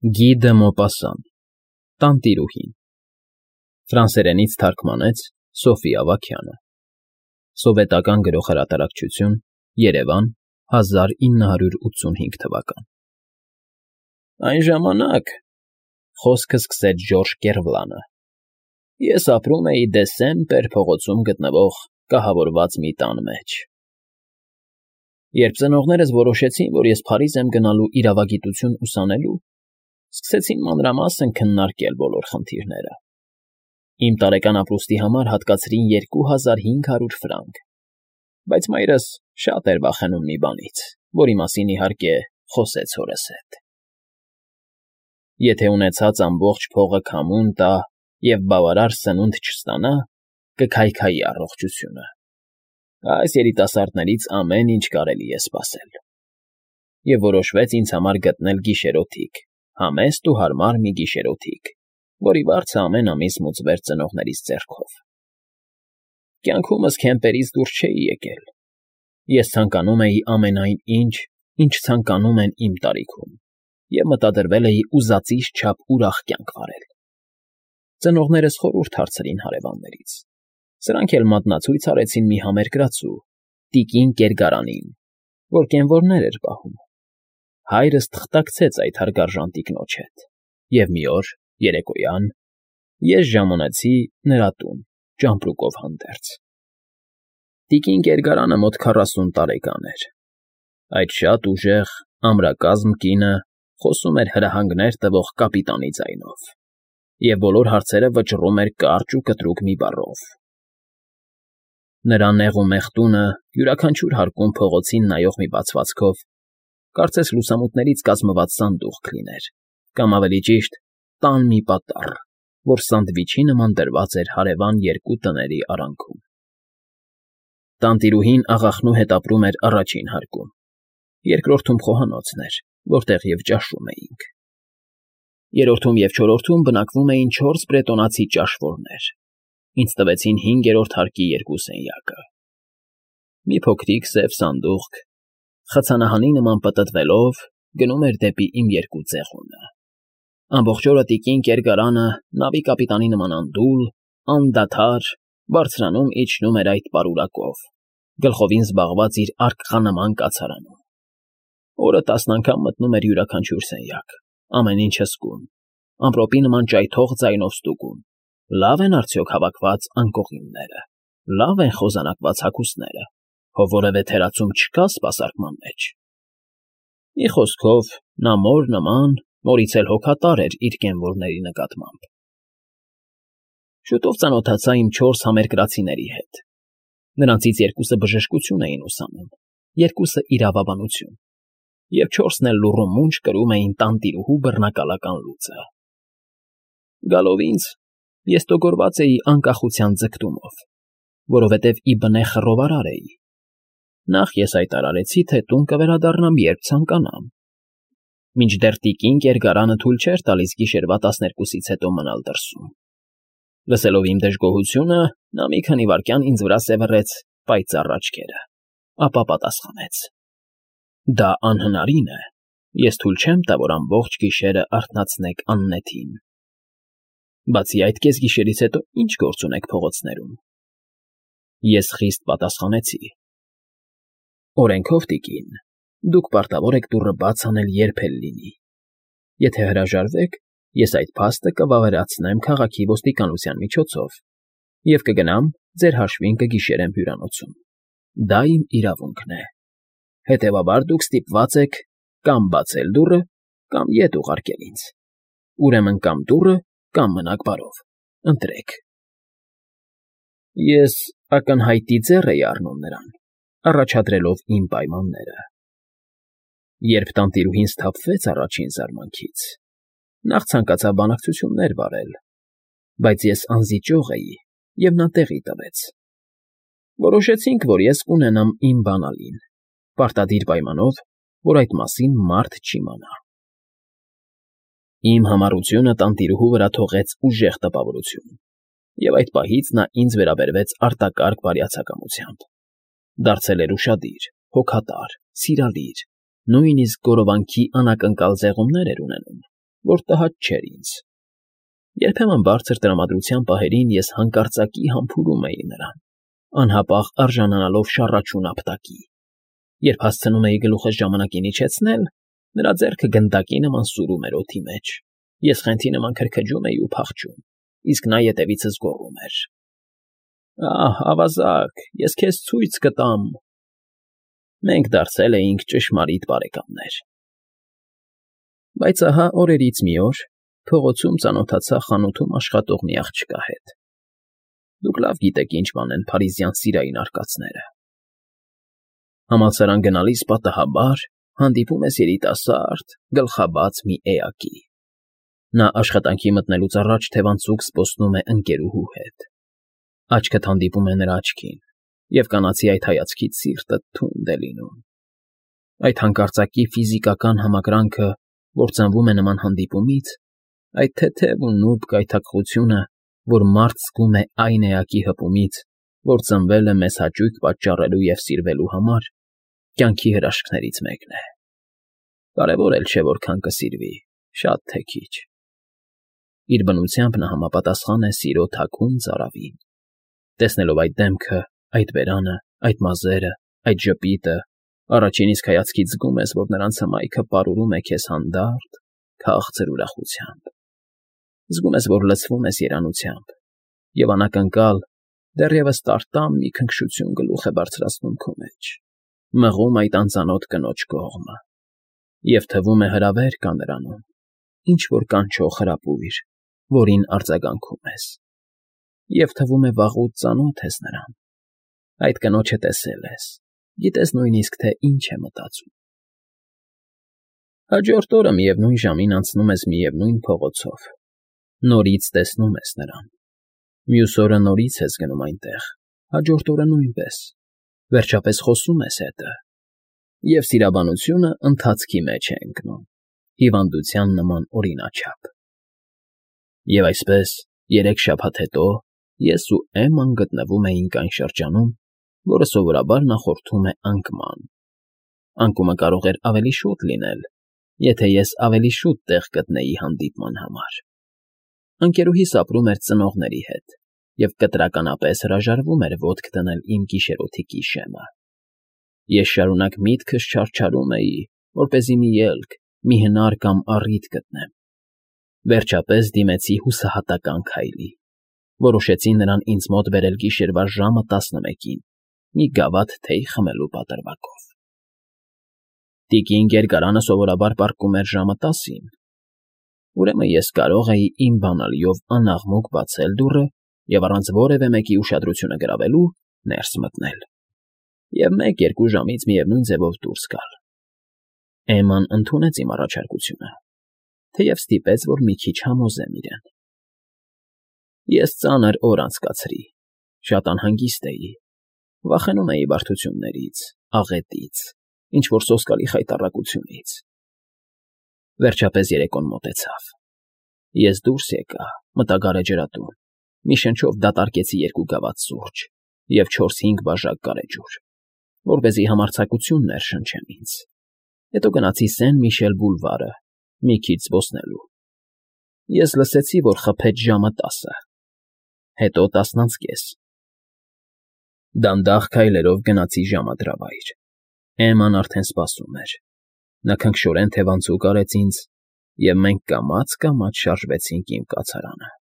Գի դը Մոպասան, Տանտիրուհին, ֆրանսերենից թարգմանեց Սոֆի Ավագյանը, սովետական գրողհրատարակչություն, Երևան, 1985 թվական։ Այն ժամանակ, խոսքը սկսեց Ժորժ Կեռվլանը, ես ապրում էի Դեսեմպեր փողոցում գտնվող կահավորված մի տան մեջ։ Երբ ծնողներս որոշեցին, որ ես Փարիզ եմ գնալու իրավագիտություն ուսանելու, սկսեցին մանրամասն քննարկել բոլոր խնդիրները։ Իմ տարեկան ապրուստի համար հատկացրին 2500 ֆրանկ, բայց մայրս շատ էր վախենում մի բանից, որի մասին, իհարկե, խոսեց հորս հետ։ Եթե ունեցած ամբողջ փողը քամուն տա և բավարար սնունդ չստանա, կքայքայի առողջությունը։ Այս երիտասարդներից ամեն ինչ կարելի է սպասել։ Եվ որոշվեց ինձ համար գտնել գիշերօթիկ, համեստ ու հարմար մի գիշերօթիկ, որի վարձը ամեն ամիս մուծվեր ծնողներիս ձեռքով։ Կյանքումս քեմպերից դուրս չէի եկել։ Ես ցանկանում էի ամենայն ինչ, ինչ ցանկանում են իմ տարիքում, և մտադրվել էի ուզածիս չափ ուրախ կյանք վարել։ Ծնողներս խորհուրդ հարցրին հարևաններից։ Սրանք էլ մատնացույց արեցին մի համերկրացու, տիկին Կերգարանին, որ կենվորներ էր պահում։ Հայրս թղթակցեց այդ հարգարժան տիկնոջ հետ, և մի օր, երեկոյան, ես ժամանեցի նրա տուն, ճամպրուկով հանդերձ։ Տիկին Կերգարանը մոտ 40 տարեկան էր։ Այդ շատ ուժեղ, ամրակազմ կինը խոսում էր հրահանգներ տվող կապիտանի ձայնով և բոլոր հարցերը վճռում էր կարճ ու կտրուկ մի բառով։ Նրա նեղ ու մեղ տունը յուրաքանչյուր հարկում փողոցին նայող մի բացվածքով, կարծես լուսամուտներից կազմված սանդուղք լիներ, կամ ավելի ճիշտ, տան մի պատառ, որ սանդվիչի նման դրված էր հարևան երկու տների արանքում։ Տանտիրուհին աղախնու հետ ապրում էր առաջին հարկում, երկրորդում խոհանոցն էր, որտեղ և ճաշում էինք։ Երրորդում և չորրորդում բնակվում էին 4 բրետոնացի ճաշվորներ, ինձ տվեցին 5-րդ հարկի 2 սենյակը։ Մի փոքրիկ սև սանդուղք, խցանահանի նման պտտվելով, գնում էր դեպի իմ երկու ծեղունը։ Ամբողջ օրը տիկին Կերգարանը նավի կապիտանի նման անդուլ, անդադար, բարձրանում֊իջնում էր այդ պարուրակով, գլխովին զբաղված իր արկղանման կացարանում։ Օրը 10 անգամ մտնում էր յուրաքանչյուր սենյակ, ամեն ինչ հսկում, ամպրոպի նման ճայթող ձայնով ստուգում. լավ են արդյոք հավաքված անկողինները, լավ են խոզանակված հագուստները, հո որևէ թերացում չկա սպասարկման մեջ։ Մի խոսքով, նա մոր նման, նորից էլ հոգատար էր իր կենվորների նկատմամբ։ Շուտով ծանոթացա իմ 4 համերկրացիների հետ։ Նրանցից 2-ը բժշկություն էին ուսանում, 2-ը իրավաբանություն, և 4-ն էլ լուռу մունջ կրում էին տանտիրուհու բռնակալական լուծը։ Գալով ինձ, ես տոգորված էի անկախության ձգտումով, որովհետև ի բնե խռովարար էի։ Նախ ես հայտարարեցի, թե տուն կվերադառնամ, երբ ցանկանամ։ Մինչդեռ տիկին Կերգարանը թույլ չէր տալիս գիշերվա 12-ից հետո մնալ դրսում։ Լսելով իմ դժգոհությունը, նա մի քանի վայրկյան ինձ վրա սևեռեց պայծառ աչքերը, ապա պատասխանեց. Դա անհնարին է, ես թույլ չեմ տա, որ ամբողջ գիշերը արթնացնեք Աննետին։ Բացի այդ, կեսգիշերից հետո ի՞նչ գործ ունեք փողոցներում։ Ես խիստ պատասխանեցի. Օրենքով, տիկին, դուք պարտավոր եք դուռը բաց անել երբ էլ լինի։ Եթե հրաժարվեք, ես այդ փաստը կվավերացնեմ քաղաքի ոստիկանության միջոցով և կգնամ ձեր հաշվին կգիշերեմ հյուրանոցում։ Դա իմ իրավունքն է։ Հետևաբար դուք ստիպված եք կամ բացել դուռը, կամ ետ ուղարկել ինձ։ Ուրեմն կամ դուռը, կամ մնաք բարով, ընտրեք։ Ես ակնհայտի ձեռ էի առնում նրան, առաջադրելով իմ պայմանները։ Երբ տանտիրուհին սթափվեց առաջին զարմանքից, նախ ցանկացավ բանակցություններ վարել, բայց ես անզիջող էի, և նա տեղի տվեց։ Որոշեցինք, որ ես կունենամ իմ բանալին, պարտադիր պայմանով, որ այդ մասին մարդ չիմանա։ Իմ համառությունը տանտիրուհու վրա թողեց ուժեղ տպավորություն, և այդ պահից նա ինձ վերաբերվեց արտակարգ բարյացակամությամբ։ Դարձել էր ուշադիր, հոգատար, սիրալիր, նույնիսկ գորովանքի անակնկալ ձեղումներ էր ունենում, որ տհաճ չէր ինձ։ Երբեմն բարձր տրամադրության պահերին ես հանկարծակի համբուրում էի նրան, անհապաղ արժանանալով շառաչուն ապտակի։ Երբ հասցնում էի գլուխս ժամանակին իջեցնել, նրա ձեռքը գնդակի նման սուրում էր օդի մեջ։ Ես խենթի նման քրքջում էի ու փախչում, իսկ նա ետևիցս գոռում էր. «Ահ, ավազակ, ես քեզ ցույց կտամ»։ Մենք դարձել էինք ճշմարիտ բարեկամներ։ Բայց ահա օրերից մի օր փողոցում ծանոթացա խանութում աշխատող մի աղջկա հետ։ Դուք լավ գիտեք ինչ բան են փարիզյան սիրային արկածները։ Համալսարան գնալիս պատահաբար հանդիպում ես երիտասարդ, գլխաբաց մի էակի։ Նա աշխատանքի մտնելուց առաջ թևանցուկ զբոսնում է ընկերուհու հետ։ Աչքդ հանդիպում է նրա աչքին, և կանացի այդ հայացքից սիրտը թունդ է լինում։ Այդ հանկարծակի ֆիզիկական համակրանքը, որ ծնվում է նման հանդիպումից, այդ թեթև ու նուրբ գայթակղությունը, որ մարդ զգում է այն էակի հպումից, որ ծնվել է մեզ հաճույք պատճառելու և սիրվելու համար, կյանքի հրաշքներից մեկն է։ Կարևոր էլ չէ որքան կսիրվի, շատ թե քիչ։ Իր բնությամբ նա համապատասխան է սիրո թաքուն ծարավին։ Տեսնելով այդ դեմքը, այդ բերանը, այդ մազերը, այդ ժպիտը, առաջին իսկ հայացքից զգում ես, որ նրանց հմայքը պարուրում է քեզ հանդարտ, քաղցր ուրախությամբ։ Զգում ես, որ լցվում ես երանությամբ, և անակնկալ, դեռևս տարտամ մի քնքշություն գլուխ է բարձրացնում քո մեջ, մղում այդ անծանոթ կնոջ կողմը, և թվում է հրավեր կա նրանում, ինչ-որ կանչող հրապույր, որին արձագանքում ես, և թվում է վաղուց ծանոթ ես նրան, այդ կնոջը տեսել ես, գիտես նույնիսկ, թե ինչ է մտածում։ Հաջորդ օրը միևնույն ժամին անցնում ես միևնույն փողոցով, նորից տեսնում ես նրան, մյուս օրը նորից ես գնում այնտեղ, հաջորդ օրը նույնպես, վերջապես խոսում ես հետը, և սիրաբանությունը ընթացքի մեջ է ընկնում, հիվանդության նման օրինաչափ։ Եվ այսպես, 3 շաբաթ հետո ես ու Էմման գտնվում էինք այն շրջանում, որը սովորաբար նախորդում է անկման։ Անկումը կարող էր ավելի շուտ լինել, եթե ես ավելի շուտ տեղ գտնեի հանդիպման համար։ Ընկերուհիս ապրում էր ծնողների հետ և կտրականապես հրաժարվում էր ոտք դնել իմ գիշերօթիկի շեմը։ Ես շարունակ միտքս չարչարում էի, որպեսզի մի ելք, մի հնար կամ առիթ գտնեմ։ Վերջապես դիմեցի հուսահատական քայլի։ Որոշեցի նրան ինձ մոտ բերել գիշերվա ժամը 11-ին, մի գավաթ թեյ խմելու պատրվակով։ Տիկին Գերգարանը սովորաբար պառկում էր ժամը 10-ին։ Ուրեմն ես կարող էի իմ բանալիով անաղմուկ բացել դուռը և առանց որևէ մեկի ուշադրությունը գրավելու ներս մտնել և 1-2 ժամից միևնույն ձևով դուրս գալ։ Էմման ընդունեց իմ առաջարկությունը, թեև ստիպեց, որ մի քիչ համոզեմ իրեն։ Ես ծանր օր անցկացրի, շատ անհանգիստ էի, վախենում էի բարդություններից, աղետից, ինչ-որ սոսկալի խայտառակությունից։ Վերջապես երեկոն մոտեցավ։ Ես դուրս եկա, մտա գարեջրատուն, մի շնչով դատարկեցի 2 գավաթ սուրճ և 4-5 բաժակ գարեջուր, որպեսզի համարձակություն ներշնչեմ ինձ։ Հետո գնացի Սեն֊Միշել բուլվարը, մի քիչ զբոսնելու։ Ես լսեցի, որ խփեց ժամը 10-ը, հետո 10:30։ Դանդաղ քայլերով գնացի ժամադրավայր։ Էմման արդեն սպասում էր։ Նա քնքշորեն թևանցուկ արեց ինձ, և մենք կամաց֊կամաց շարժվեցինք իմ կացարանը։